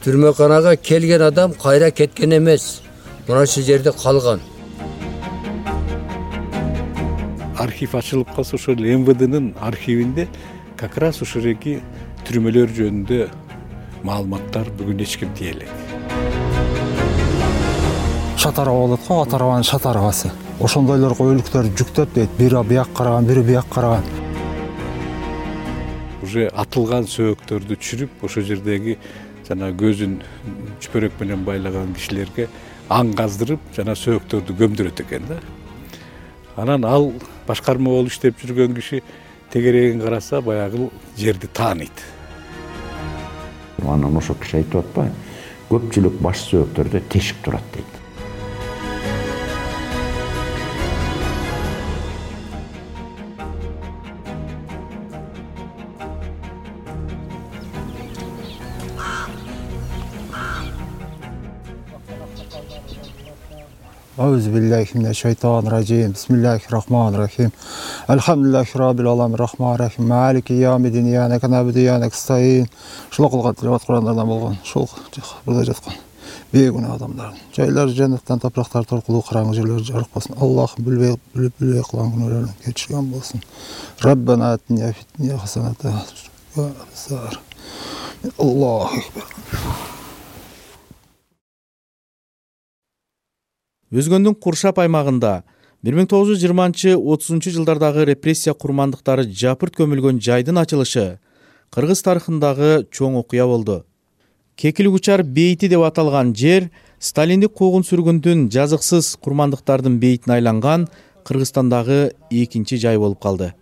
Түрмөканага келген адам кайра кеткен эмес. Мына ушул жерде калган. Архив ачылып калса ошол МВДнын архивинде как раз ушул эки түрмөлөр жөнүндө маалыматтар бүгүн эч ким тие элек. Шатараба болот го, Атарабанын шатарабасы. Ошондойлорго өлүктөр жүктөп дейт. Бири бияк караган, бири бияк караган. Уже атылган сөөктөрдү түшүрүп, ошол жердеги жана көзүн чүпөрөк менен байлаган кишилерге аң каздырып, жана сөөктөрдү көмдүрөт экен да. Анан ал башкарма болуп иштеп жүргөн киши тегерегин караса баягы жерди тааныйт. Анан ошо киши айтып атпайбы? Көпчүлүк баш сөөктөрдө тешик турат дейт. Ауzu биллахи минеш шайтанир ражим. Бисмиллахир рахманир рахим. Алхамдулиллахи раббил аламин рахманир рахим. Малики яумиддин ияка набуду ва ияка настаин. Ушул кылган тилават Курандардан болгон. Ушул бурда жаткан бейгүнөө адамдардын жайлары жаннаттан, топурактар торкулуу, караңгы жерлери жарык болсун. Аллахым билбей кылган күнөөлөрүн кечирген болсун. Раббана атина фид дунья хасаната ва фил Аллаху акбар. Өзгөндүн Куршап аймагында 1920-30 жылдардагы репрессия курмандыктары жапырт көмүлгөн жайдын ачылышы кыргыз тарыхындагы чоң окуя болду. Кекилгучар бейити деп аталган жер сталиндик куугун-сүргүндүн жазыксыз курмандыктардын бейитине айланган Кыргызстандагы экинчи жай болуп калды.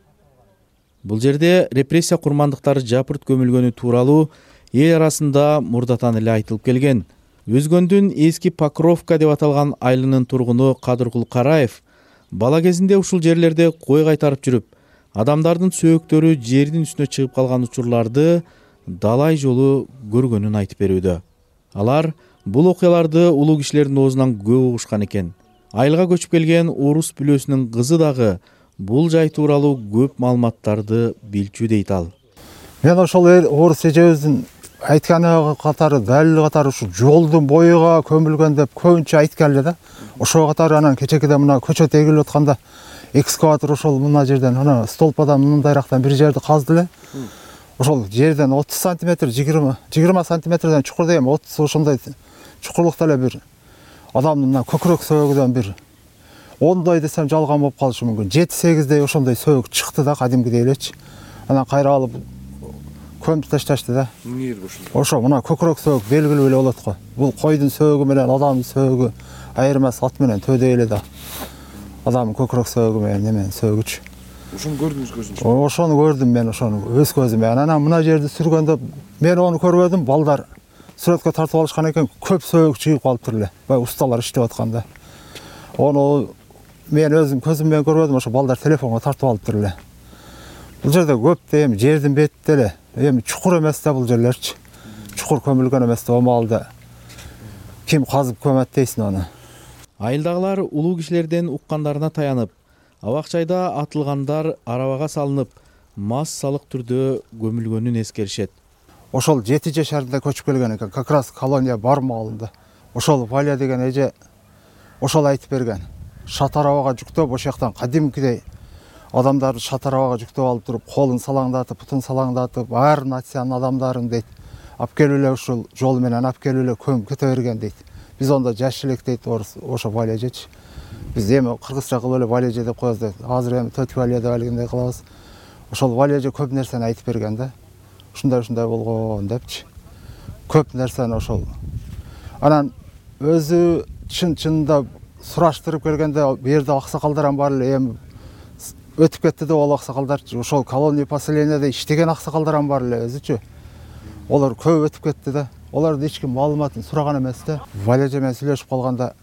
Бул жерде репрессия курмандыктары жапырт көмүлгөнү тууралуу эл арасында мурдатан эле айтылып келген. Өзгөндүн эски Покровка деп аталган айылынын тургуну Кадыркул Караев бала кезинде ушул жерлерде кой кайтарып жүрүп, адамдардын сөөктөрү жердин үстүнө чыгып калган учурларды далай жолу көргөнүн айтып берүүдө. Алар бул окуяларды улуу кишилердин оозунан көп угушкан экен. Айылга көчүп келген орус бүлөсүнүн кызы дагы бул жай тууралуу көп маалыматтарды билчү дейт ал. Мен ошол орус эжебиздин айтканы катары, далил катары ушу жолдун боюга көмүлгөн деп көбүнчө айткан эле да. Ошого катары анан кечекеде мына көчө тегилип атканда экскаватор ошол мына жерден, ана столпадан мындайрактан бир жерди казды эле. Ошол жерден 30 сантиметр, 20 сантиметрден чукурда эми 30 ошондой чукурлукта эле бир адамдын мына көкүрөк сөөгүдөн бир 10 десем жалган болуп калышы мүмкүн. 7-8 ошондой сөөгү чыкты да, кадимкидей элечи. Анан кайра алып көмүп ташташты да. Ошо мына көкүрөк сөөгү белгилүү эле болот го. Бул койдун сөөгү менен адамдын сөөгү айырмасы ат менен төдөй эле да. Адамдын көкүрөк сөөгү менен неменин сөөгүчү. Ошону көрдүңүз көзүңүз? Ошону көрдүм мен, ошону өз көзүм менен. Анан мына жерди сүргөндө мен ону көрбөдүм, балдар сүрөткө тартып алышкан экен, көп сөөгү чыгып калыптыр эле. Бай усталар иштеп атканда. Ону мен өзүм көзүм менен көрбөдүм, ошо балдар телефонго тартып алыптыр эле. Бул жерде көп да эми жердин бетинде эле. Эми чукур эмес да бул жерлерчи. Чукур көмүлгөн эмес да, маалда ким казып көмөт дейсиң аны. Айылдагылар улуу кишилерден уккандарына таянып, абакчайда атылгандар арабага салынып, массалык түрдө көмүлгөнүн эскеришет. Ошол 7 жашарында көчүп келген экен, как раз колония бар маалында. Ошол Валя деген эже ошол айтып берген. Шатарабага жүктөп, ошол жактан кадимкидей адамдарды шатарабага жүктөп алып туруп, колун салаңдатып, бутун салаңдатып, ар нациянын адамдарын дейт, алып келип эле ушул жол менен алып келип эле көмүп кете берген дейт. Биз онда жаш элек дейт ошо Валя эжечи. Биз эми кыргызча кылып эле Валя эже деп коебуз дейт. Азыр эми Төтү Валя деп алгандай кылабыз. Ошол Валя эже көп нерсени айтып берген да. Ушундай болгон депчи. Көп нерсени ошол. Анан өзү чын-чынында сураштырып келгенде бу жерде аксакалдар бар эле, эми өтүп кетти да ол аксакалдарчы. Ошол колония поселенияда иштеген аксакалдар бар эле өзүчү. Олар көп өтүп кетти да. Оларды эч ким маалыматын сураган эмес да. Валя эже менен сүйлөшүп калганда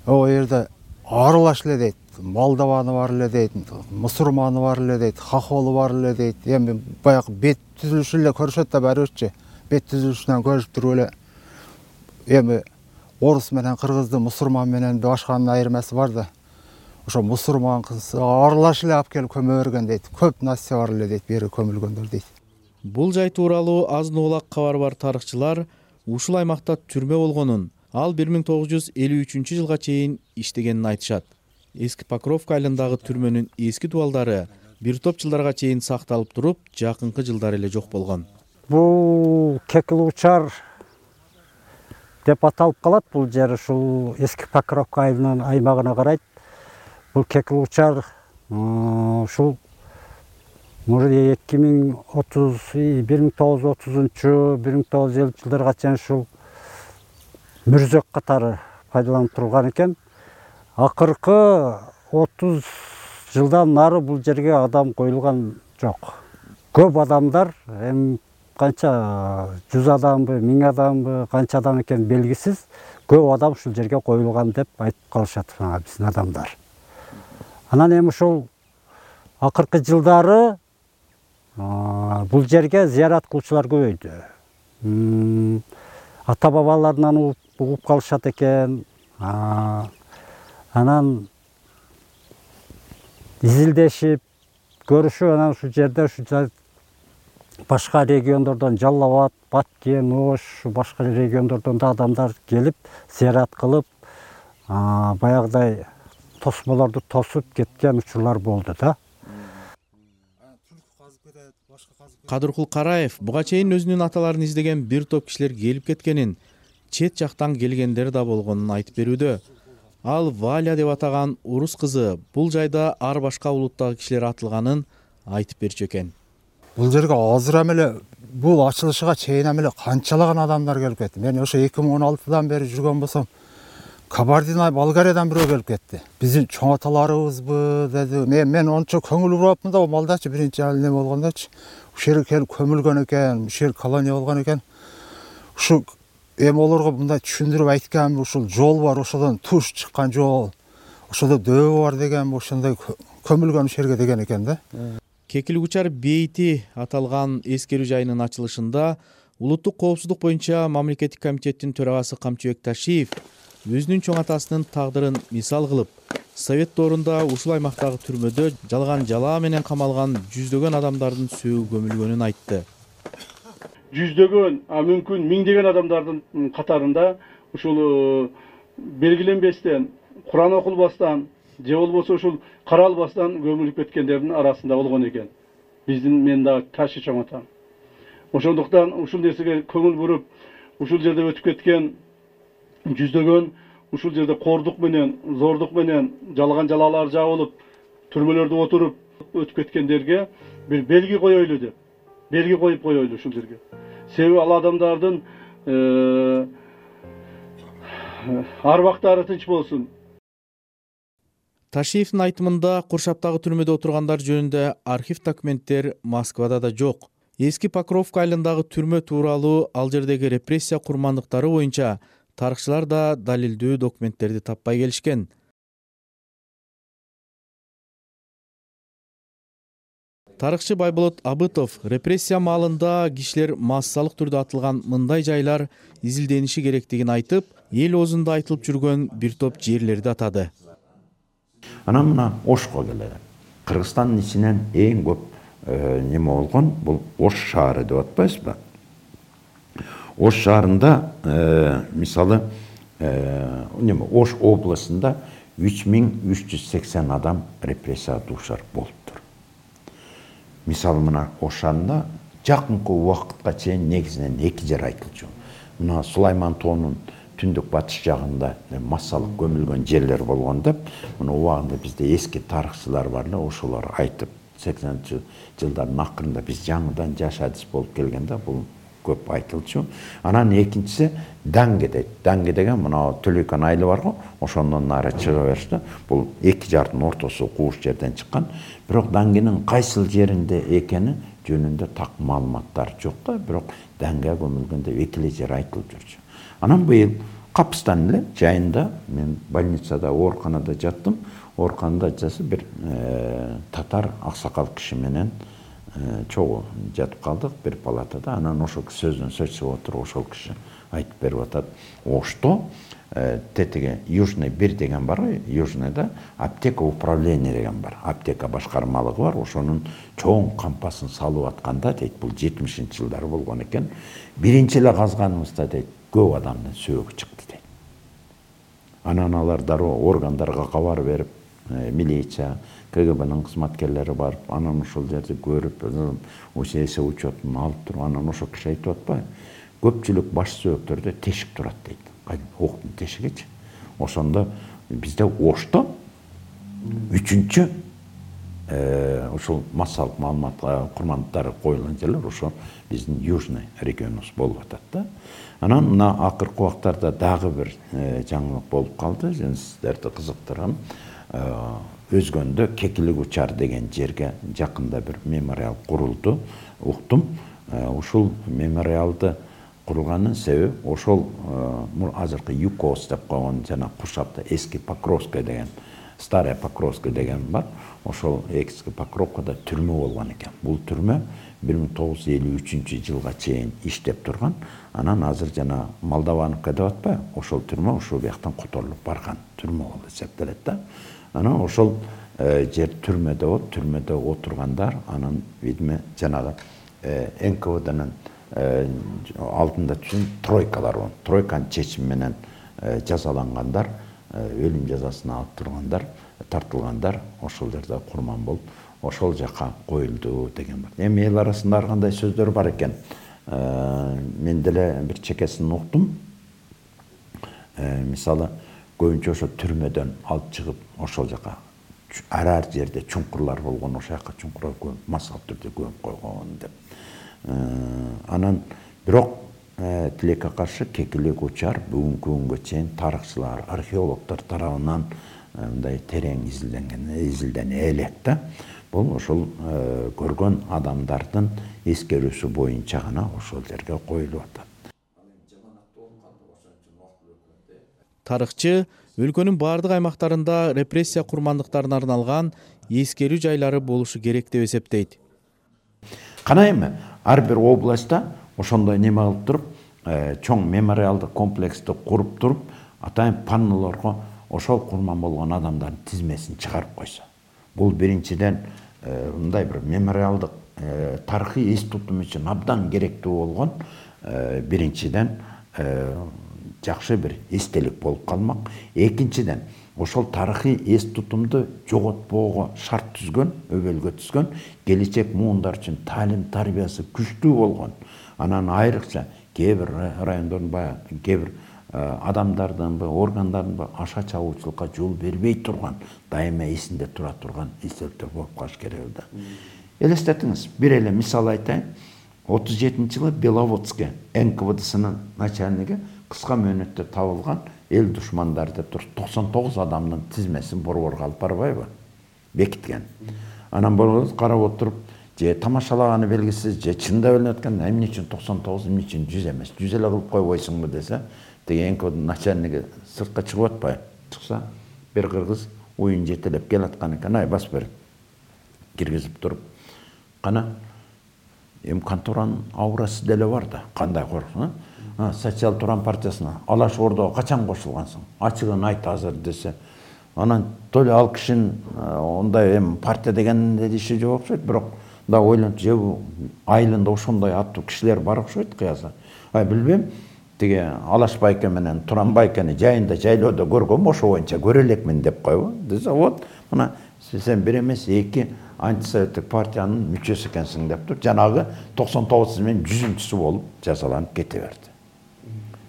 о жерде аралаш эле дейт. Молдованы бар эле дейт, мусурманы бар эле дейт, хохолу бар эле дейт. Эми баягы бет түзүлүшү эле көрүшөт да барыбырчы. Бет түзүлүшүнөн көрүп туруп эле эми орус менен кыргызды, мусурман менен башканын айырмасы бар да. Ошо мусурман кыз аралаш эле алып келип көмө берген дейт. Көп насия бар эле дейт, бери көмүлгөндөр дейт. Бул жай тууралуу азын улак кабар бар тарыхчылар ушул аймакта түрмө болгонун, ал 1953 жылга чейин иштегенин айтышат. Эски Покровка айылындагы түрмөнүн эски дубалдары бир топ жылдарга чейин сакталып туруп, жакынкы жылдары эле жок болгон. Бул Кекилучар деп аталып калат. Бул жер ушул эски Покровка айылынын аймагына карайт. Бул Кекилучар ушул 1930-1950 жылдарга чейин ушул мүрзөк катары пайдаланып турулган экен. Акыркы 30 жылдан нары бул жерге адам коюлган жок. Көп адамдар, канча 100 адамбы, 1000 адамбы, канча адам экен белгисиз, көп адам ушул жерге коюлган деп айтып калышат биздин адамдар. Анан эми ушул акыркы жылдары бул жерге зыярат кылуучулар көбөйдү. Ата бабаларынан угуп калышат экен. Анан изилдешип, көрүшүп, анан ушул жерде башка региондордон Жалал Абад, Баткен, Ош, башка региондордон да адамдар келип, зыярат кылып, баягыдай тосмолорду тосуп кеткен учурлар болду да. Кадыркул Караев буга чейин өзүнүн аталарын издеген бир топ кишилер келип кеткенин, чет жактан келгендер да болгонун айтып берүүдө. Ал Валя деп атаган урус кызы бул жайда ар башка улуттагы кишилер атылганын айтып берчү экен. Бул жерге азыр эмеле бул ачылышыга чейин эмеле канчалаган адамдар келип кетти. Мен ошо 2016-дан бери жүргөн болсом, Кабардино-Балкариядан бирөө келип кетти. Биздин чоң аталарыбызбы деди. Мен ончо көңүл бурапмын да, о малдачы биринчи эле болгондочу. Ушул жерге келип көмүлгөн экен, ушул жер колония болгон экен. Ушу эми олорго мындай түшүндүрүп айткам, ушул жол бар, ошодон туш чыккан жол. Ошодо дөбө бар деген, ошондой көмүлгөн ушул жерге деген экен да. Кекилучар бейити аталган эскерүү жайынын ачылышында улуттук коопсуздук боюнча мамлекеттик комитеттин төрагасы Камчыбек Ташиев өзүнүн чоң атасынын тагдырын мисал кылып, Совет доорунда ушул аймактагы түрмөдө жалган жалаа менен камалган жүздөгөн адамдардын сөөгү көмүлгөнүн айтты. Жүздөгөн, мүмкүн миңдеген адамдардын катарында ушул белгиленбестен, Куран окулбастан, же болбосо ушул каралбастан көмүлүп кеткендердин арасында болгон экен. Биздин мен дагы ташы чоң атам. Ошондуктан ушул нерсеге көңүл буруп, ушул жерде өтүп кеткен жүздөгөн, ушул жерде кордук менен, зордук менен жалган жалаалар жабылып, түрмөлөрдө отуруп өтүп кеткендерге бир белги коелу деп. Белги коюп коелу ушул жерге. Себеби ал адамдардын арбактары тынч болсун. Ташиевдин айтымында Куршаптагы түрмөдө отургандар жөнүндө архив документтер Москвада да жок. Эски Покровка айылындагы түрмө тууралуу ал жердеги репрессия курмандыктары боюнча тарыхчылар да далилдүү документтерди таппай келишкен. Тарыхчы Байболот Абытов репрессия маалында кишилер массалык түрдө атылган мындай жайлар изилдениши керектигин айтып, эл оозунда айтылып жүргөн бир топ жерлерди атады. Анан мына Ошко келели. Кыргызстандын ичинен эң көп неме болгон бул Ош шаары деп атпайсызбы? Ош шаарында мисалы Ош областында 3380 адам репрессияга дуушар болуптур. Мисалы мына Ош шаарында жакынкы убакытка чейин негизинен эки жер айтылчу. Мына Сулайман тоонун түндүк батыш жагында массалык көмүлгөн жерлер болгон деп, мына убагында бизде эски тарыхчылар бар эле, ошолор айтып, 80-жылдардын акырында биз жаңыдан жаш адис болуп келгенде бул көп айтылчу. Анан экинчиси Даңге дейт. Даңге деген мына Төлөйкөн айылы бар го, ошондон нары чыга беришти. Бул эки жардын ортосу кууш жерден чыккан. Бирок Даңгенин кайсыл жеринде экени жөнүндө так маалыматтар жок да, бирок Даңге көмүлгөндө эки эле жер айтылып жүрчү. Анан быйыл Капыстан эле жайында мен больницада, ооруканада жаттым. Ооруканада жасы бир татар аксакал киши менен чогуу жатып калдык бир палатада. Анан ошол сөздөн сөз чыгып отуруп, ошол киши айтып берип атат. Ошто тетиги Южный 1 деген бар, Южныйда аптека управление деген бар, аптека башкармалыгы бар, ошонун чоң кампасын салып атканда дейт, бул 70-жылдары болгон экен, биринчи эле казганыбызда дейт, көп адамдын сөөгү чыкты дейт. Анан алар дароо органдарга кабар берип, милиция, КГБнын кызматкерлери барып, анан ошол жерди көрүп, эсе учетун алып туруп, анан ошо киши айтып атпайбы, көпчүлүк баш сөөктөрдө тешик турат дейт. Октун тешигичи. Ошондо бизде Ошто үчүнчү ушул массалык маалымат курмандыктары коюлган жерлер ошо биздин Южный регионубуз болуп атат да. Анан мына акыркы убактарда дагы бир жаңылык болуп калды, жана сиздерди кызыктырган Өзгөндө Кекилик учар деген жерге жакында бир мемориал курулду, уктум. Ушул мемориалды курулганын себеби ошол азыркы ЮКОС деп койгон жана Куршапта эски Покровская деген, Старая Покровская деген бар. Ошол эски Покровкада түрмө болгон экен. Бул түрмө 1953-жылга чейин иштеп турган. Анан азыр жана Молдовановка деп атпайбы? Ошол түрмө ошол бияктан которулуп барган түрмө болуп эсептелет да. Анан ошол жер түрмөдө болуп, түрмөдө отургандар, анан видимо жанагы НКВДнын алдында түшүн тройкалар бар. Тройканын чечими менен жазалангандар, өлүм жазасына алып тургандар, тартылгандар ошол жерде курман болуп, ошол жака коюлду деген бар. Эми эл арасында ар кандай сөздөр бар экен. Мен деле бир чекесин уктум. Мисалы, көбүнчө ошо түрмөдөн алып чыгып, ошол жака ар жерде чуңкурлар болгон, ошол жака чуңкурга көмүп, массалык түрдө көмүп койгон деп. Анан бирок тилекке каршы Кекилик учар бүгүнкү күнгө чейин тарыхчылар, археологдор тарабынан мындай терең изилдене элек да. Бул ошол көргөн адамдардын эскерүүсү боюнча гана ошол жерге коюлуп атат. Тарыхчы өлкөнүн баардык аймактарында репрессия курмандыктарына арналган эскерүү жайлары болушу керек деп эсептейт. Кана эми ар бир областта ошондой неме кылып туруп, чоң мемориалдык комплексти куруп туруп, атайын паннолорго ошол курман болгон адамдардын тизмесин чыгарып койсо. Бул биринчиден мындай бир мемориалдык тарыхый эс тутум үчүн абдан керектүү болгон биринчиден жакшы бир эстелик болуп калмак. Экинчиден ошол тарыхый эс тутумду жоготпоого шарт түзгөн, өбөлгө түзгөн, келечек муундар үчүн таалим тарбиясы күчтүү болгон. Анан айрыкча кээ бир райондордун баягы кээ бир адамдардын, органдардын аша чабуучулукка жол бербей турган, дайыма эсинде тура турган эстеликтер болуп калыш керек да. Элестетиңиз, бир эле мисал айтайын. 37-жылы Беловодский НКВДсынын начальниги кыска мөөнөттө табылган эл душмандар деп туруп 99 адамдын тизмесин борборго алып барбайбы? Бекиткен. Анан болот карап отуруп, же тамашалаганы белгисиз, же чындап эле өткөн, эмне үчүн 99, эмне үчүн 100 эмес, 100 эле кылып койбойсуңбу десе, теги НКВДнын начальниги сыртка чыгып атпайбы? Чыкса, бир кыргыз уюн жетелеп келаткан экен, ай басып бер. Киргизип туруп, кана эми конторанын аурасы деле бар да, кандай корксуң, Социал Туран партиясына Алаш Ордого качан кошулгансың? Ачыгын айт азыр десе. Анан то ли ал кишинин ондай эми партия дегенде иши жок окшойт, бирок да ойлонуп, же айылында ошондой аттуу кишилер бар окшойт кыяса. Ай билбейм, тиги Алаш байке менен Туран байкени жайында жайлоодо көргөм, ошо боюнча көрө элекмин деп койбу. Десе, вот, мына сен бир эмес, эки антисоветтик партиянын мүчөсү экенсиң деп туруп, жанагы 99 менен 100-сү болуп жазаланып кете берди.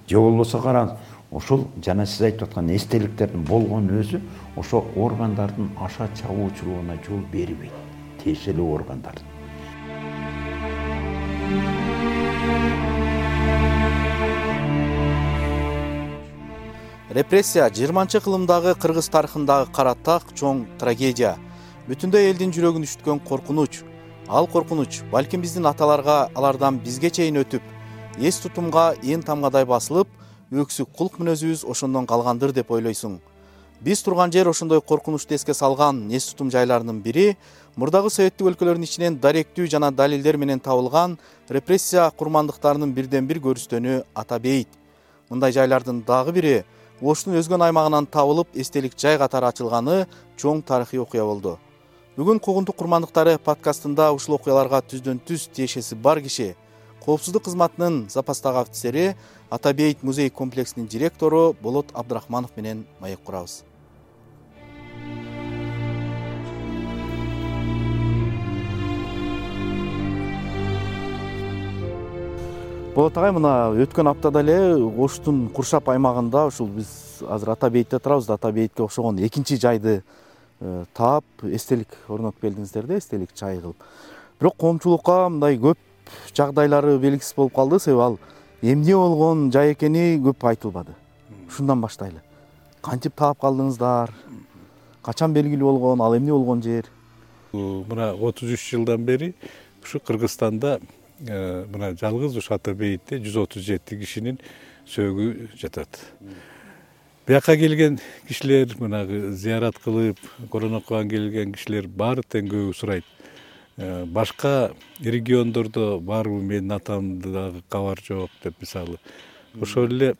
Же болбосо караңыз, ошол жана сиз айтып аткан эстеликтердин болгон өзү ошо органдардын аша чабуучулугуна жол бербейт, тиешелүү органдардын. Репрессия 20-кылымдагы кыргыз тарыхындагы каратак чоң трагедия. Бүтүндөй элдин жүрөгүн үчүткөн коркунуч. Ал коркунуч балким биздин аталарга алардан бизге чейин өтүп, эс тутумга ээн тамгадай басылып, өксүк кулк мүнөзүбүз ошондон калгандыр деп ойлойсуң. Биз турган жер ошондой коркунучту эске салган эс тутум жайларынын бири мурдагы советтик өлкөлөрдүн ичинен даректүү жана далилдер менен табылган репрессия курмандыктарынын бирден бир көрүстөнү Ата бейит. Мындай жайлардын дагы бири Оштун өзгөн аймагынан табылып, эстелик жай катары ачылганы чоң тарыхый окуя болду. Бүгүн Куугунтук курмандыктары подкастында ушул окуяларга түздөн-түз тиешеси бар киши, коопсуздук кызматынын запастагы офицери, Ата Бейит музей комплексинин директору Болот Абдрахманов менен маек курабыз. Болот агай, мына өткөн аптада эле Оштун Куршап аймагында ушул биз азыр Ата Бейтте турабыз да, Ата Бейтке окшогон экинчи жайды таап, эстелик орнотуп келдиңиздер да, эстелик жай кылып. Бирок коомчулукка мындай көп жагдайлары белгисиз болуп калды, себеби ал эмне болгон жай экени көп айтылбады. Ушундан баштайлы. Кантип таап калдыңыздар? Качан белгилүү болгон, ал эмне болгон жер? Мына 33 жылдан бери ушу Кыргызстанда мына жалгыз ушу Ата Бейтте 137 кишинин сөөгү жатат. Бияка келген кишилер, мына зыярат кылып, Куран окуган келген кишилер баары тең көбү сурайт. Башка региондордо барбы, менин атамды дагы кабар жок деп, мисалы. Ошол эле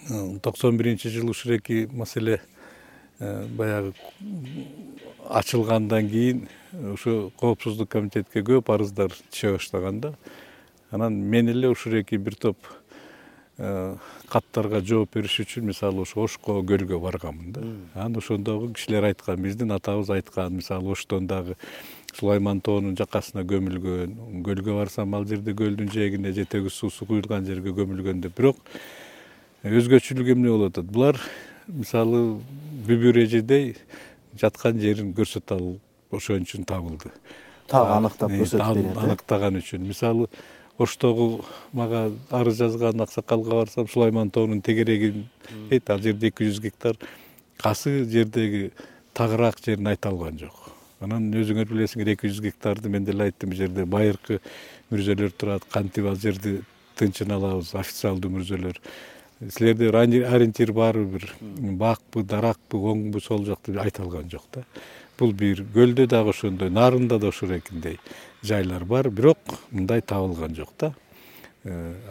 91-жылы ушуреки маселе баягы ачылгандан кийин ушу коопсуздук комитетке көп арыздар түшө баштаганда, анан мен эле ушуреки бир топ каттарга жооп бериш үчүн, мисалы, ошо Ошко көлгө барганмын да. Анан ошондогу кишилер айткан, биздин атабыз айткан, мисалы, Оштон дагы Сулайман тоонун жакасына көмүлгөн, көлгө барсам ал жерде көлдүн жээгине жетеги суусу куюлган жерге көмүлгөн деп. Бирок өзгөчөлүк эмне болуп атат? Булар, мисалы, бүбүр эжедей жаткан жерин көрсөтө алып, ошон үчүн табылды. Так аныктап көрсөтүп берет. Аныктаган үчүн. Мисалы, Оштогу мага арыз жазган аксакалга барсам, Сулайман тоонун тегерегин дейт, ал жерде 200 гектар, касы жердеги тагыраак жерин айта алган жок. Анан өзүңөр билесиңер, 200 гектарды мен деле айттым, бул жерде байыркы мүрзөлөр турат, кантип ал жерди тынчын алабыз, официалдуу мүрзөлөр. Силерде ориентир барбы, бир бакпы, даракпы, оңбу, сол жакты айта алган жок да. Бул бир көлдө дагы ошондой, нарында да ошорекиндей жайлар бар, бирок мындай табылган жок да.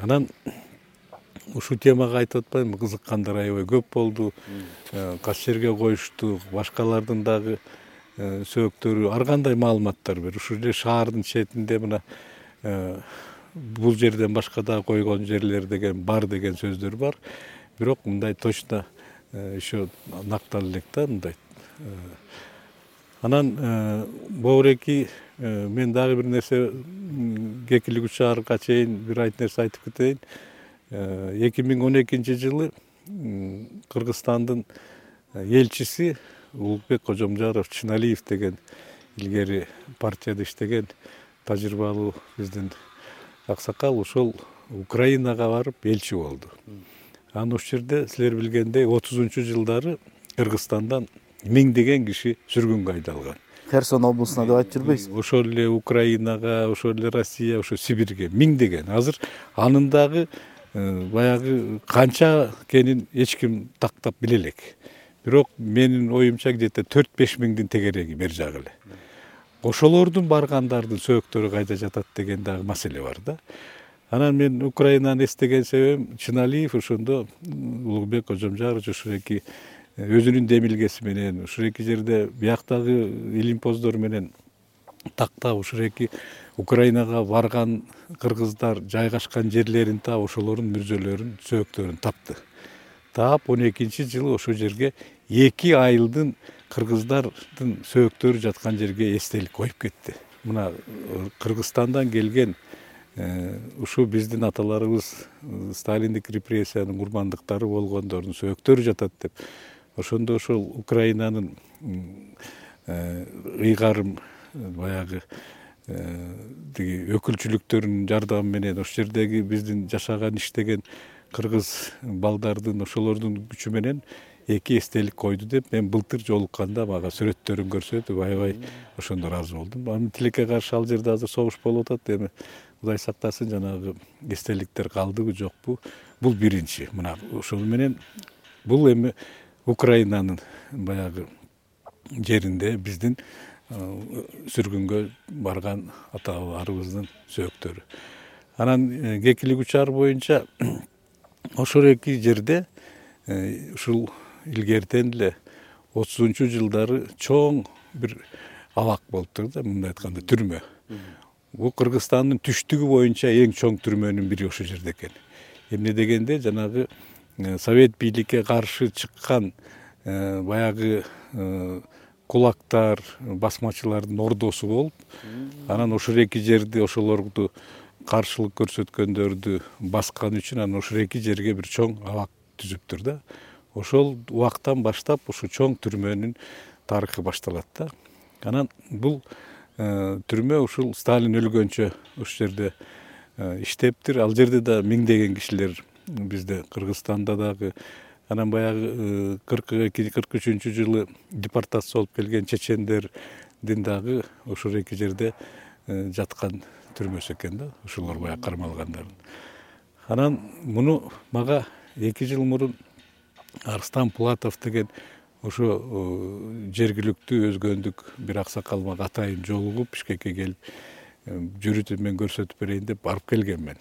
Анан ушул темага айтып атпайбы, кызыккандар аябай көп болду. Кайсы жерге коюштук, башкалардын дагы сөөктөрү, ар кандай маалыматтар бер. Ушул эле шаардын четинде мына бул жерден башка да койгон жерлер деген бар деген сөздөр бар. Бирок мындай точно еще нактал элек да, мындай. Анан бобуреки мен дагы бир нерсе кекилик учаарга чейин бир нерсе айтып кетейин. 2012-жылы Кыргызстандын элчиси Улукбек Кожомжаров Чыналиев деген илгери партияда иштеген тажрыйбалуу биздин аксакал ошол Украинага барып элчи болду. Анан ошол жерде силер билгендей 30-жылдары Кыргызстандан миңдеген киши сүргүнгө айдалган. Херсон облусуна деп айтып жүрбөйсүзбү? Ошол эле Украинага, ошол эле Россия, ошо Сибирге миңдеген. Азыр анын дагы баягы канча экенин эч ким тактап биле элек. Бирок менин оюмча где-то 4-5 миңдин тегереги бер жагы эле. Ошолордун баргандардын сөөктөрү кайда жатат деген дагы маселе бар да. Анан мен Украинаны эстеген себебим, Чыналиев ошондо Улукбек Кожомжаров ушуреки өзүнүн демилгеси менен, ушуреки жерде бияктагы илимпоздор менен тактап, ушуреки Украинага барган кыргыздар жайгашкан жерлерин таап, ошолордун мүрзөлөрүн, сөөктөрүн тапты. Таап 12-жылы ошол жерге 2 айылдын кыргыздардын сөөктөрү жаткан жерге эстелик коюп кетти. Мына Кыргызстандан келген ушу биздин аталарыбыз Сталиндик репрессиянын курмандыктары болгондордун сөөктөрү жатат деп. Ошондо ошол Украинанын ыйгарым баягы өкүлчүлүктөрүнүн жардамы менен ошол жердеги биздин жашаган, иштеген кыргыз балдардын ошолордун күчү менен 2 эстелик койду деп, мен былтыр жолукканда мага сүрөттөрүн көрсөтүп аябай ошондо ыраазы болдум. Анын тилекке каршы ал жерде азыр согуш болуп атат, эми Кудай сактасын, жанагы эстеликтер калдыбы жокпу? Бул биринчи. Мына ошол менен бул эми Украинанын баягы жеринде биздин сүргүнгө барган аталарыбыздын сөөктөрү. Анан кекилик учар боюнча ошол эки жерде ушул илгертен эле 30-жылдары чоң бир абак болуптур да, мындай айтканда түрмө. Бул Кыргызстандын түштүгү боюнча эң чоң түрмөнүн бири ошол жерде экен. Эмне дегенде жанагы совет бийликке каршы чыккан баягы кулактар, басмачылардын ордосу болуп, анан ошол эки жерди ошолорду каршылык көрсөткөндөрдү баскан үчүн анан ошол эки жерге бир чоң абак түзүптүр да. Ошол убактан баштап ушу чоң түрмөнүн тарыхы башталат да. Анан бул түрмө ушул Сталин өлгөнчө ошол жерде иштептир. Ал жерде да миңдеген кишилер бизде Кыргызстанда дагы, анан баягы 42-43-жылы депортация болуп келген чечендердин дагы ошол эки жерде жаткан түрмөсү экен да, ошолор баягы кармалгандардын. Анан муну мага 2 жыл мурун Арстан Пулатов деген ошо жергиликтүү өзгөндүк бир аксакал мага атайын жолугуп Бишкекке келип, жүрүтүп мен көрсөтүп берейин деп барып келгенмин.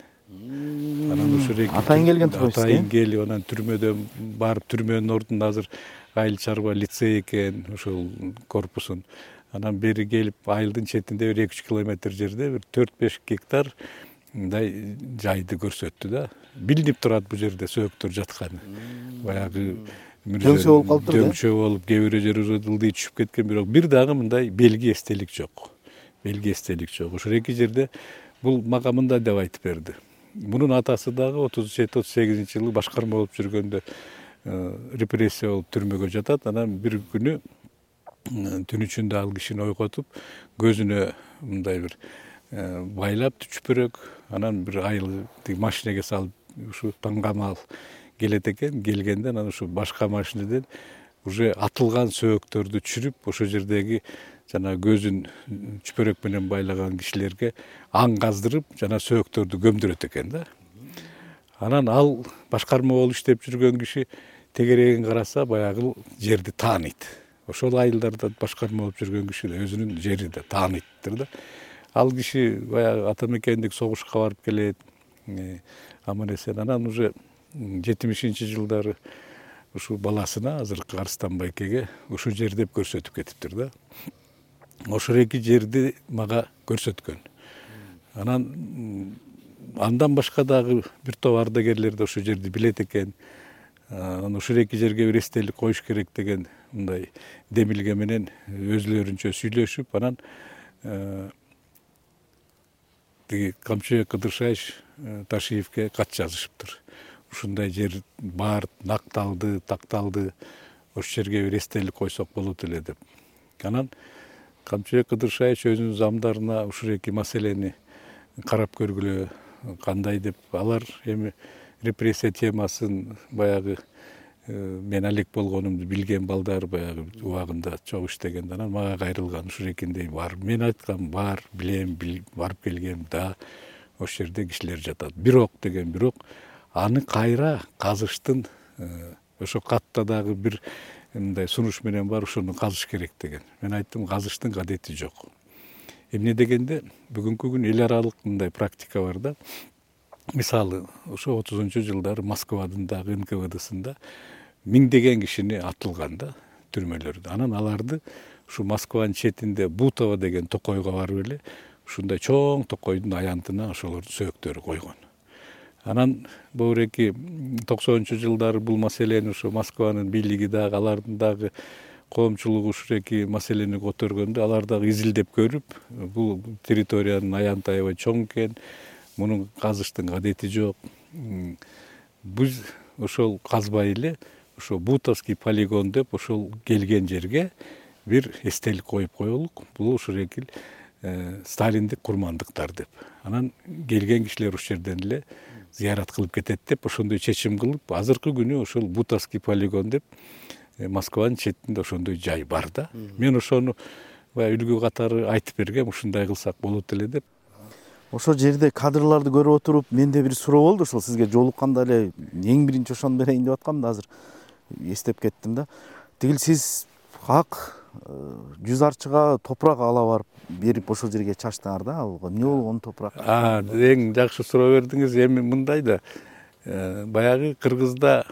Анан ошол эки атайын келген турбайсыз? Атайын келип, анан түрмөдөн барып, түрмөнүн ордунда азыр айыл чарба лицей экен, ошол корпусун. Анан бери келип, айылдын четинде бир 2-3 километр жерде бир 4-5 гектар мындай жайды көрсөттү да. Билинип турат бул жерде сөөктөр жатканы. Баягы дөңчө болуп калыптыр да. Дөңчө болуп, кээ бир жери уже ылдый түшүп кеткен, бирок бир дагы мындай белги эстелик жок. Белги эстелик жок. Ошол эки жерде бул мага мындай деп айтып берди. Мунун атасы дагы 37-38 жылы башкарма болуп жүргөндө репрессия болуп түрмөгө жатат. Анан бир күнү түн ичинде ал кишини ойготуп, көзүнө мындай бир байлап чүпүрөк, анан бир айыл машинеге салып ушу таңгамал келет экен. Келгенде анан ушу башка машинеден уже атылган сөөктөрдү түшүрүп, ошол жердеги жана көзүн чүпөрөк менен байлаган кишилерге аң каздырып, жана сөөктөрдү көмдүрөт экен да. Анан ал башкарма болуп иштеп жүргөн киши тегерегин караса, баягы жерди тааныйт. Ошол айылдарда башкарма болуп жүргөн киши өзүнүн жери да тааныйттыр да. Ал киши баягы ата мекендик согушка барып келет, аман эсен. Анан уже 70-жылдары ушу баласына, азыркы Арстан байкеге ушу жер деп көрсөтүп кетиптир да. Ошол эки жерди мага көрсөткөн. Анан андан башка дагы бир топ ардагерлер да ошол жерди билет экен. Анан ошол эки жерге бир эстелик коюш керек деген мындай демилге менен өзлөрүнчө сүйлөшүп, анан тиги Камчыбек Кыдыршаевич Ташиевке кат жазышыптыр. Ушундай жер бар, накталды, такталды, ошол жерге бир эстелик койсок болот эле деп. Анан Камчыбек Кыдыршаевич өзүнүн замдарына ушул эки маселени карап көргүлө, кандай деп. Алар эми репрессия темасын баягы мен алек болгонумду билген балдар баягы убагында чогуу иштеген. Анан мага кайрылган, ушул экиндей бар. Мен айткам, бар, билем, барып келгем да, ошол жерде кишилер жатат. Бирок деген, бирок аны кайра казыштын ошо катта дагы бир мындай сунуш менен бар, ошону казыш керек деген. Мен айттым, казыштын кадети жок. Эмне дегенде, бүгүнкү күн эл аралык мындай практика бар да. Мисалы, ошо 30-жылдары Москвадын дагы НКВДсында миңдеген кишини атылган да түрмөлөрдө. Анан аларды ушу Москванын четинде Бутово деген токойго барып эле ушундай чоң токойдун аянтына ошолордун сөөктөрү койгон. Анан бөүреки 90-жылдары бул маселени ушу Москванын бийлиги дагы, алардын дагы коомчулугу ушул эки маселени көтөргөндө, алар дагы изилдеп көрүп, бул территориянын аянты аябай чоң экен, мунун казыштын кадети жок. Биз ошол казбай эле ошо Бутовский полигон деп ошол келген жерге бир эстелик коюп коелук. Бул ушул эки Сталиндик курмандыктар деп. Анан келген кишилер ошол жерден эле зыярат кылып кетет деп ошондой чечим кылып, азыркы күнү ошол Бутовский полигон деп Москванын четинде ошондой жай бар да. Мен ошону баягы үлгү катары айтып бергем, ушундай кылсак болот эле деп. Ошол жерде кадрларды көрүп отуруп, менде бир суроо болду, ошол сизге жолукканда эле эң биринчи ошону берейин деп аткам да, азыр эстеп кеттим да. Тигил сиз ак 100 арчыга топурак ала барып берип ошол жерге чачтыңар да, ал эмне болгон топурак? Эң жакшы суроо бердиңиз. Эми мындай да, Баягы Кыргызда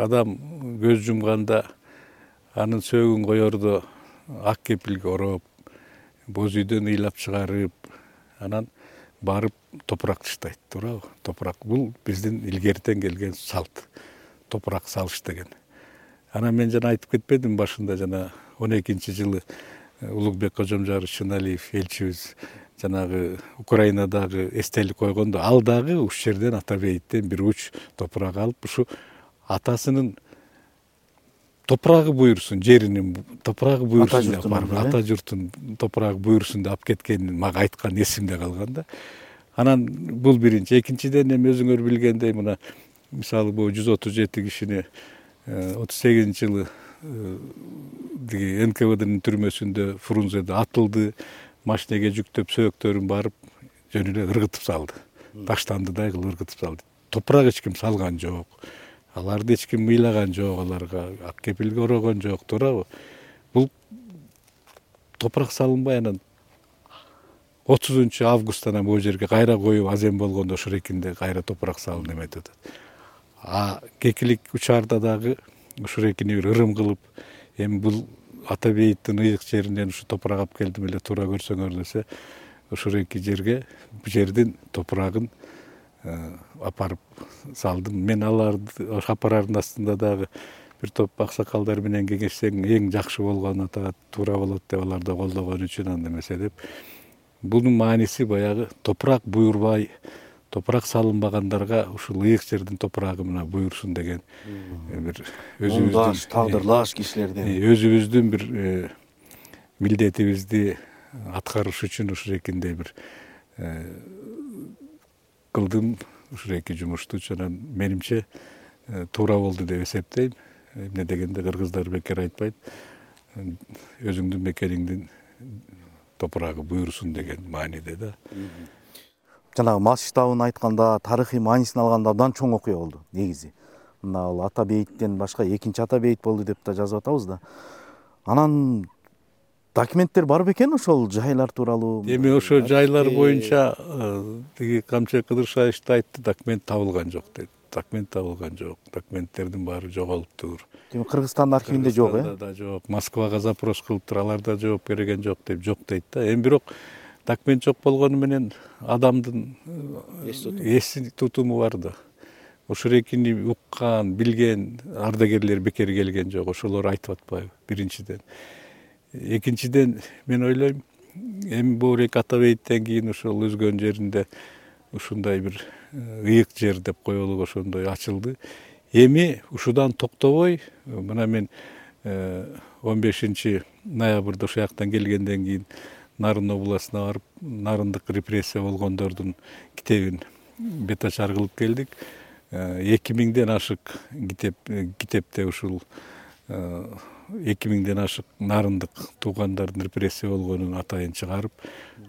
адам көз жумганда анын сөөгүн коердо ак кепилге ороп, боз үйдөн ыйлап чыгарып, анан барып топурак таштайт, туурабы? Топурак бул биздин илгертен келген салт. Топурак салыш деген. Анан мен жана айтып кетпедим башында, жана 12-жылы Улукбек Кожомжаров Шыналиев элчибиз жанагы Украинадагы эстелик койгондо, ал дагы ушул жерден ата бейиттен бир уч топурак алып, ушу атасынын топурагы буйрусун, жеринин топурагы буйрусун деп барып, ата журтун топурагы буйрусун деп алып кеткенин мага айткан, эсимде калган да. Анан бул биринчи. Экинчиден эми өзүңөр билгендей, мына мисалы бул 137 кишини 38-жылы НКВДнын түрмөсүндө Фрунзеде атылды, машинеге жүктөп сөөктөрүн барып жөн эле ыргытып салды. Таштандыдай кылып ыргытып салды. Топурак эч ким салган жок. Аларды эч ким мыйлаган жок, аларга ак кепилге орогон жок, туурабы? Бул топурак салынбай, анан 30-августтан бул жерге кайра коюп азем болгондо ошол экинде кайра топурак салынып эметип атат. Кекилик учарда дагы ушул экини бир ырым кылып, эми бул ата бейиттин ыйык жеринен ушу топурак алып келдим эле, туура көрсөңөр десе, ушул эки жерге бул жердин топурагын апарып салдым. Мен аларды апарардын астында дагы бир топ аксакалдар менен кеңешсең эң жакшы болгон, ата туура болот деп аларды колдогон үчүн, анда эмесе деп. Бунун мааниси баягы топурак буйрубай, топурак салынбагандарга ушул ыйык жердин топурагы мына буйрусун деген бир өзүбүздүн тагдырлаш кишилерден өзүбүздүн бир милдетибизди аткарыш үчүн ушул экиндей бир кылдым, ушул эки жумушту. Анан менимче туура болду деп эсептейм. Эмне дегенде кыргыздар бекер айтпайт, өзүңдүн мекениңдин топурагы буйрусун деген мааниде да. жанагы масштабын айтканда, тарыхый маанисин алганда абдан чоң окуя болду негизи. Мына ал ата бейиттен башка экинчи ата бейит болду деп да жазып атабыз да. Анан документтер бар бекен ошол жайлар тууралуу? Эми ошо жайлар боюнча тиги Камчек Кыдыршаевич да айтты, документ табылган жок деди. Документ табылган жок. Документтердин баары жоголуптур. Демек Кыргызстандын архивинде жок, Да жок. Москвага запрос кылыптыр, алар да жооп берген жок деп жок дейт да. Эми бирок документ жок болгону менен адамдын эс тутуму бар да. Ошол экини уккан, билген ардагерлер бекер келген жок. Ошолор айтып атпайбы? Биринчиден. Экинчиден мен ойлойм, эми бул эки ата бейиттен кийин ошол өзгөн жеринде ушундай бир ыйык жер деп коелук, ошондой ачылды. Эми ушудан токтобой, мына мен 15 ноябрда ошол жактан келгенден кийин Нарын областына барып, нарындык репрессия болгондордун китебин бетачар кылып келдик. 2000ден ашык китепте ушул 2000ден ашык нарындык туугандардын репрессия болгонун атайын чыгарып,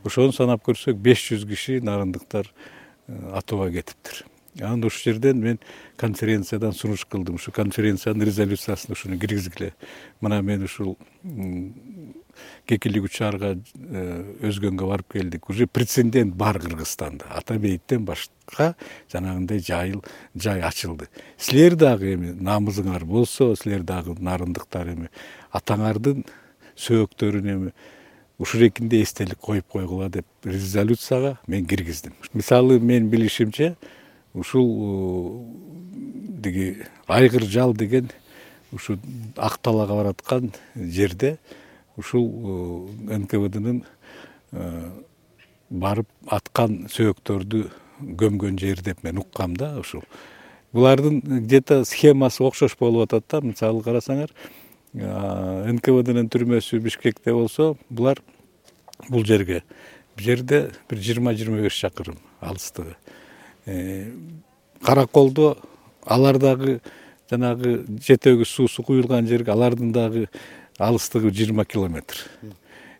ошону санап көрсөк 500 киши нарындыктар атууга кетиптир. Анан ушул жерден мен конференциядан сунуш кылдым. Ушу конференциянын резолюциясына ушуну киргизгиле. Мына мен ушул кекилик учарга өзгөнгө барып келдик. Уже прецедент бар Кыргызстанда. Ата бейиттен башка жанагындай жай ачылды. Силер дагы эми намызыңар болсо, силер дагы нарындыктар эми атаңардын сөөктөрүн эми ушул экинде эстелик коюп койгула деп резолюцияга мен киргиздим. Мисалы мен билишимче ушул диги Айгыр жал деген ушул Ак талаага бараткан жерде ушул НКВДнын барып аткан сөөктөрдү көмгөн жер деп мен уккам да. Ушул булардын где-то схемасы окшош болуп атат да. Мисалы карасаңар, НКВДнын түрмөсү Бишкекте болсо, булар бул жерде бир 20-25 чакырым алыстыгы. Караколдо алар дагы жанагы жетөгү суусу куюлган жерге алардын дагы алыстыгы 20 километр.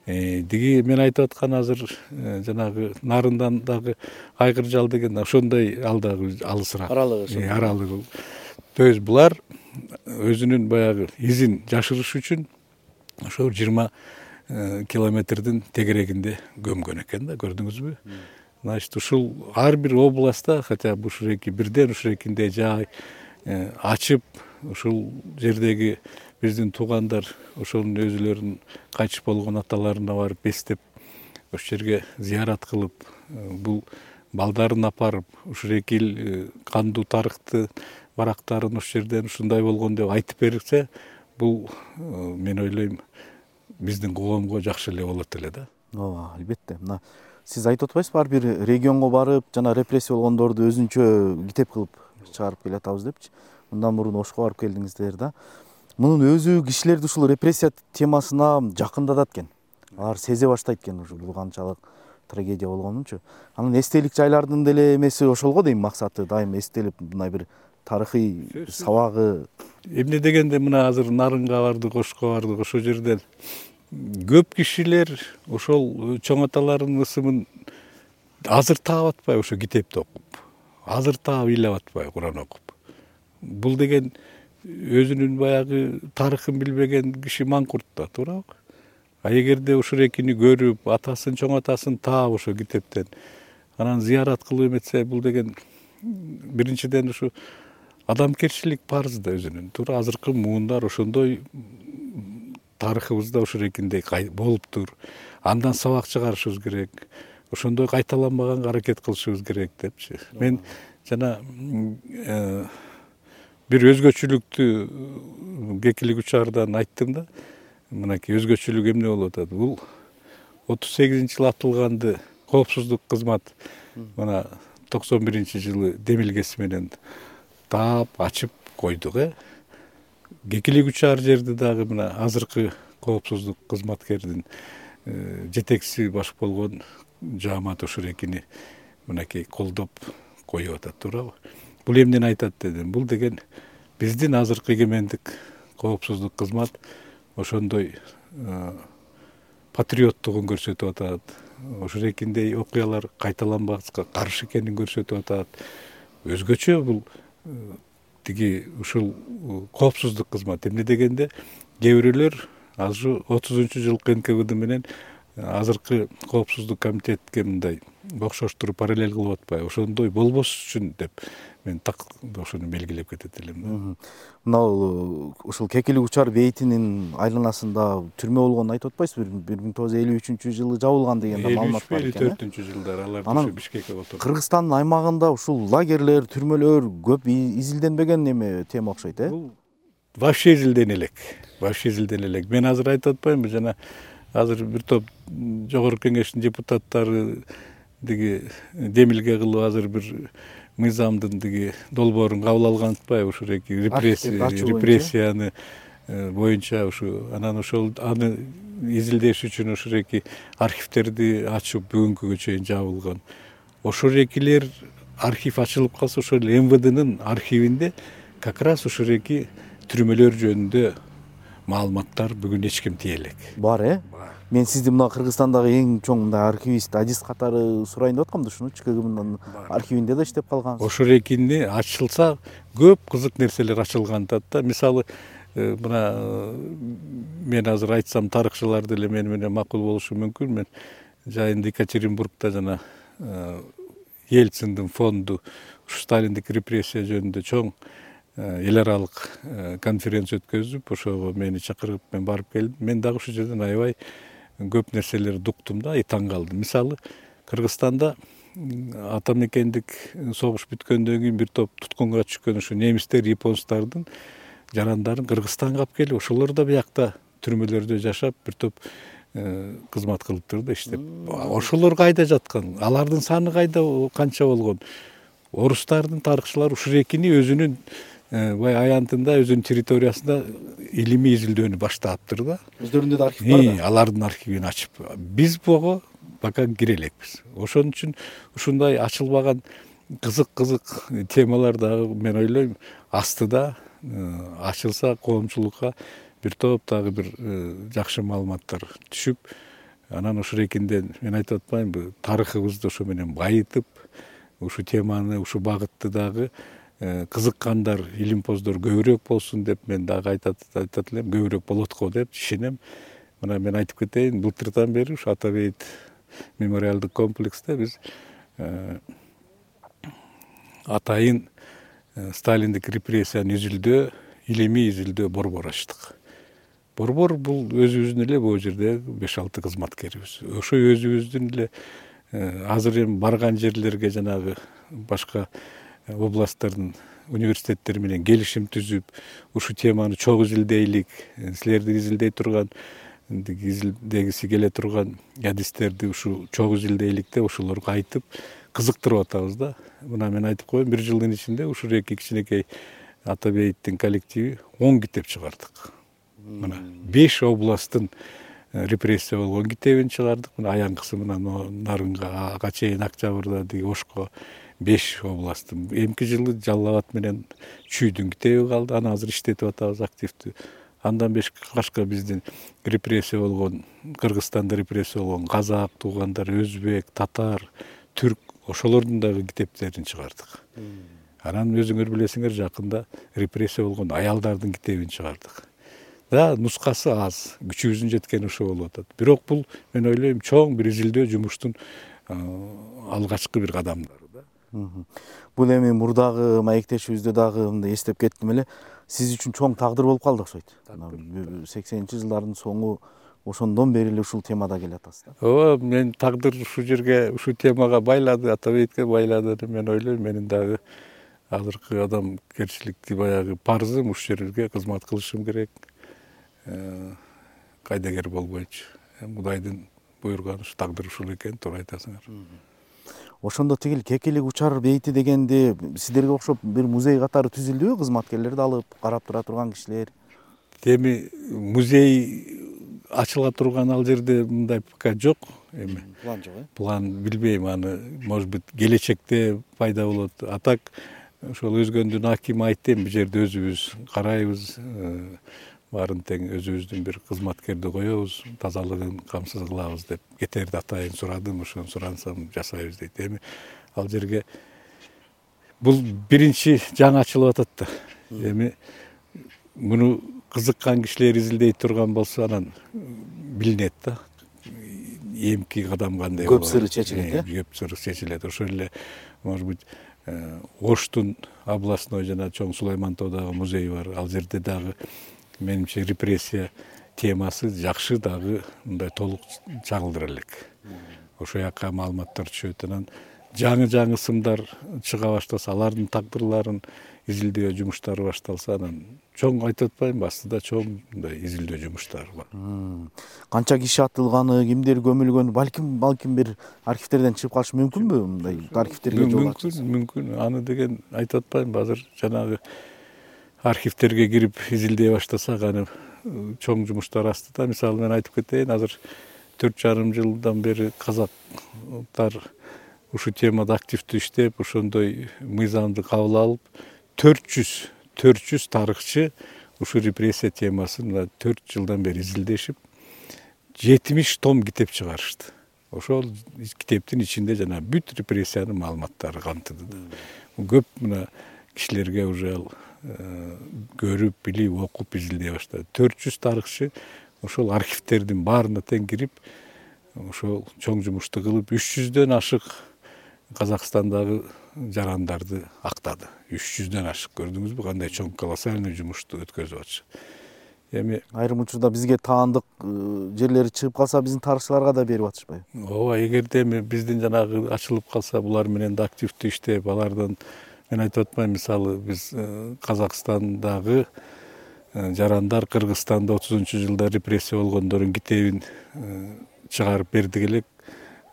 Диги мен айтып аткан азыр жанагы Нарындан дагы Айгыр жал деген ошондой ал дагы алысыраак. Аралыгы. То есть булар өзүнүн баягы изин жашырыш үчүн ошо 20 километрдин тегерегинде көмгөн экен да, көрдүңүзбү? Значит, ушул ар бир областта, хотя бы ушуреки бирден ушурекинде жай ачып, ушул жердеги биздин туугандар ошонун өзүлөрүнүн кайтыш болгон аталарына барып эстеп, ошол жерге зыярат кылып, бул балдарын апарып, ушуреки эл кандуу тарыхты барактарын ошол жерден ушундай болгон деп айтып берсе, бул мен ойлойм биздин коомго жакшы эле болот эле да. ооба, албетте. Мына сиз айтып атпайсызбы, ар бир регионго барып, жана репрессия болгондорду өзүнчө китеп кылып чыгарып келатабыз депчи. Мындан мурун Ошко барып келдиңиздер да. Мунун өзү кишилерди ушул репрессия темасына жакындатат экен. Алар сезе баштайт экен ушу бул канчалык трагедия болгонунчу. Анын эстелик жайлардын деле эмеси ошол го дейм, максаты дайым эстелип мындай бир тарыхый сабагы. Эмне дегенде мына азыр Нарынга бардык, Ошко бардык, ошол жерден көп кишилер ошол чоң аталардын ысымын азыр таап атпайбы ошо китепти окуп, азыр таап ыйлап атпайбы Куран окуп. Бул деген өзүнүн баягы тарыхын билбеген киши маңкурт да, туурабы? А эгерде ушурекини көрүп, атасын, чоң атасын таап ошо китептен, анан зыярат кылып эметсе, бул деген биринчиден ушу адамгерчилик парыз да өзүнүн. Туура азыркы муундар ошондой тарыхыбызда ушурекиндей болуптур. Андан сабак чыгарышыбыз керек. Ошондой кайталанбаганга аракет кылышыбыз керек депчи. Мен жана бир өзгөчөлүктү Кекилик учардан айттым да. Мынакей өзгөчөлүк эмне болуп атат? Бул 38-жылы атылганды коопсуздук кызмат мына 91-жылы демилгеси менен таап, ачып койдук, Кекилик учар жерди дагы мына азыркы коопсуздук кызматкердин жетекчиси баш болгон Жаамат Ошурекини мынакей колдоп коюп атат, туурабы? Бул эмнени айтат дедим? Бул деген биздин азыркы эгемендик коопсуздук кызмат ошондой патриоттугун көрсөтүп атат. Ошурекиндей окуялар кайталанбаска каршы экенин көрсөтүп атат. Өзгөчө бул тиги ушул коопсуздук кызмат эмне дегенде кээ бирөөлөр азыр 30-жылкы НКВД менен азыркы коопсуздук комитетке мындай окшоштуруп параллель кылып атпайбы? Ошондой болбош үчүн деп мен так ошону белгилеп кетет элем. Мына ушул Кекилик учар бейтинин айланасында түрмө болгонун айтып атпайсызбы? 1953-жылы жабылган деген да маалымат бар экен. 54-жылдары алар ошо Бишкекке отурду. Кыргызстандын аймагында ушул лагерлер, түрмөлөр көп изилденбеген эме тема окшойт, Бул вообще изилдене элек. Вообще изилдене элек. Мен азыр айтып атпаймынбы, жана азыр бир топ жогорку кеңештин депутаттары диги демилге кылып азыр бир мыйзамдын диги долбоорун кабыл алган атпайбы? Ушуреки репрессияны боюнча ушу анан ошол аны изилдеш үчүн ушуреки архивтерди ачып бүгүнкүгө чейин жабылган. Ошурекилер архив ачылып калса, ошол МВДнын архивинде как раз ушуреки түрмөлөр жөнүндө маалыматтар бүгүн эч ким тие элек. Бар, Мен сизди мына Кыргызстандагы эң чоң мындай архивист, адис катары сурайын деп аткам да, ушуну ЧКГМдын архивинде да иштеп калган. Ошурекини ачылса көп кызык нерселер ачылган да. Мисалы, мына мен азыр айтсам тарыхчылар деле мени менен макул болушу мүмкүн. Мен жайында Екатеринбургда жана Ельциндин фонду ушу Сталиндик репрессия жөнүндө чоң эл аралык конференция өткөзүп, ошого мени чакырып мен барып келдим. Мен дагы ушул жерден аябай көп нерселерди уктум да, таң калдым. Мисалы, Кыргызстанда ата мекендик согуш бүткөндөн кийин бир топ туткунга түшкөн ушу немистер, японстардын жарандарын Кыргызстанга алып келип, ошолор да биякта түрмөлөрдө жашап, бир топ кызмат кылыптыр да, иштеп. Ошолор кайда жаткан? Алардын саны кайда, канча болгон? Орустардын тарыхчылары ушурекини өзүнүн бай аянтында, өзүнүн территориясында илимий изилдөөнү баштаптыр да. Өздөрүндө да архив бар да. Алардын архивин ачып, биз буга пока кире элекпиз. Ошон үчүн ушундай ачылбаган кызык темалар дагы мен ойлойм астыда ачылса коомчулукка бир топ дагы бир жакшы маалыматтар түшүп, анан ушурекинден мен айтып атпаймынбы, тарыхыбызды ошо менен байытып, ушу теманы, ушу багытты дагы кызыккандар, илимпоздор көбүрөөк болсун деп мен дагы айтат элем, көбүрөөк болот го деп ишенем. Мына мен айтып кетейин, былтырдан бери ушу Ата бейит мемориалдык комплексте биз атайын сталиндик репрессияны изилдөө, илимий изилдөө борбор ачтык. Борбор бул өзүбүздүн эле бул жерде 5-6 кызматкерибиз. Ошо өзүбүздүн эле азыр эми барган жерлерге жанагы башка областтардын университеттери менен келишим түзүп, ушу теманы чогуу изилдейлик, силерди изилдей турган, изилдегиси келе турган адистерди ушу чогуу изилдейлик деп ошолорго айтып кызыктырып атабыз да. Мына мен айтып коеюн, 1 жылдын ичинде ушул эки кичинекей Атабеевдин коллективи 10 китеп чыгардык. Мына 5 областтын репрессия болгон китебин чыгардык. Мына аянкысы мына Нарынга, ага чейин Октябрда, Ошко 5 областтын. Эмки жылы Жалал Абад менен Чүйдүн китеби калды. Аны азыр иштетип атабыз активдүү. Андан башка биздин репрессия болгон, Кыргызстанда репрессия болгон казак туугандар, өзбек, татар, түрк ошолордун дагы китептерин чыгардык. Анан өзүңөр билесиңер, жакында репрессия болгон аялдардын китебин чыгардык. Да, нускасы аз, күчүбүздүн жеткени ошо болуп атат. Бирок бул мен ойлойм чоң бир изилдөө жумуштун алгачкы бир кадамдары да. Бул эми мурдагы маектешибизде дагы мындай эстеп кеттим эле, сиз үчүн чоң тагдыр болуп калды окшойт. 80-жылдардын соңу ошондон бери эле ушул темада келатасыз да. Ооба, мен тагдыр ушул жерге, ушул темага байлады, Атабеевге байлады деп мен ойлойм. Менин дагы азыркы адамгерчиликти баягы парзым ушул жерге кызмат кылышым керек. Кайдагер болбойчу. Кудайдын буйруганы ушу тагдыр ушул экен, туура айтасыңар. Ошондо тигил Кекилик учар бейити дегенде сиздерге окшоп бир музей катары түзүлдүбү? Кызматкерлерди алып карап тура турган кишилер. Эми музей ачыла турган ал жерде мындай пока жок. Эми План жок, план билбейм, аны может быть келечекте пайда болот. А так ошол өзгөндүн акими айтты, бул жерде өзүбүз карайбыз, баарын тең өзүбүздүн бир кызматкерди коебуз, тазалыгын камсыз кылабыз деп кетерди атайын сурадым, ошону сурансам жасайбыз дейт. Эми ал жерге бул биринчи жаңы ачылып атат да. Эми муну кызыккан кишилер изилдей турган болсо анан билинет да. Эмки кадам кандай болот. Көп сыры чечилет, Көп сыры чечилет. Ошол эле может быть Оштун областной жана чоң Сулаймантоодагы музей бар. Ал жерде дагы менимче репрессия темасы жакшы дагы мындай толук чагылдыра элек. Ошол жака маалыматтар түшөт. Анан жаңы сымдар чыга баштаса, алардын тагдырларын изилдөө жумуштары башталса, анан чоң айтып атпаймынбы, астыда чоң мындай изилдөө жумуштары бар. Канча киши атылганы, кимдер көмүлгөнү, балким бир архивтерден чыгып калышы мүмкүнбү? Мындай архивтерге жол ачылса. Мүмкүн. Аны деген айтып атпаймынбы, азыр жанагы архивтерге кирип изилдей баштасак, аны чоң жумуштар астыда. Мисалы мен айтып кетейин, азыр 4,5 жылдан бери казактар ушу темада активдүү иштеп, ошондой мыйзамды кабыл алып, 400 тарыхчы ушу репрессия темасын 4 жылдан бери изилдешип, 70 том китеп чыгарышты. Ошол китептин ичинде жана бүт репрессиянын маалыматтары камтылды. Көп мына кишилерге уже көрүп, билип, окуп изилдей баштады. 400 тарыхчы ошол архивтердин баарына тең кирип, ошол чоң жумушту кылып, 300дөн ашык Казакстандагы жарандарды актады. 300дөн ашык, көрдүңүзбү, кандай чоң колоссальный жумушту өткөзүп атышы. Эми айрым учурда бизге таандык жерлери чыгып калса, биздин тарыхчыларга да берип атышпайбы? Ооба, эгерде эми биздин жанагы ачылып калса, булар менен да активдүү иштеп, алардан мен айтып атпайм, мисалы биз Казакстандагы жарандар Кыргызстанда 30-жылда репрессия болгондордун китебин чыгарып бердик элек.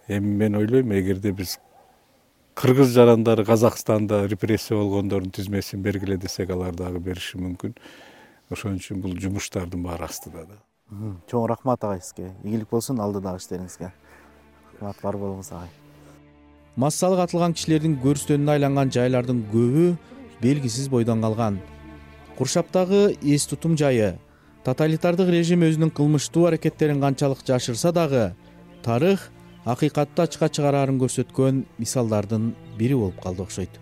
Эми мен ойлойм, эгерде биз кыргыз жарандары Казакстанда репрессия болгондордун тизмесин бергиле десек, алар дагы бериши мүмкүн. Ошон үчүн бул жумуштардын баары астыда да. Чоң рахмат агай сизге. Ийгилик болсун алдыдагы иштериңизге. Рахмат бар болуңуз агай. Массалык атылган кишилердин көрүстөнүнө айланган жайлардын көбү белгисиз бойдон калган. Куршаптагы эс тутум жайы, тоталитардык режим өзүнүн кылмыштуу аракеттерин канчалык жашырса дагы, тарых акыйкатты ачыкка чыгарарын көрсөткөн мисалдардын бири болуп калды окшойт.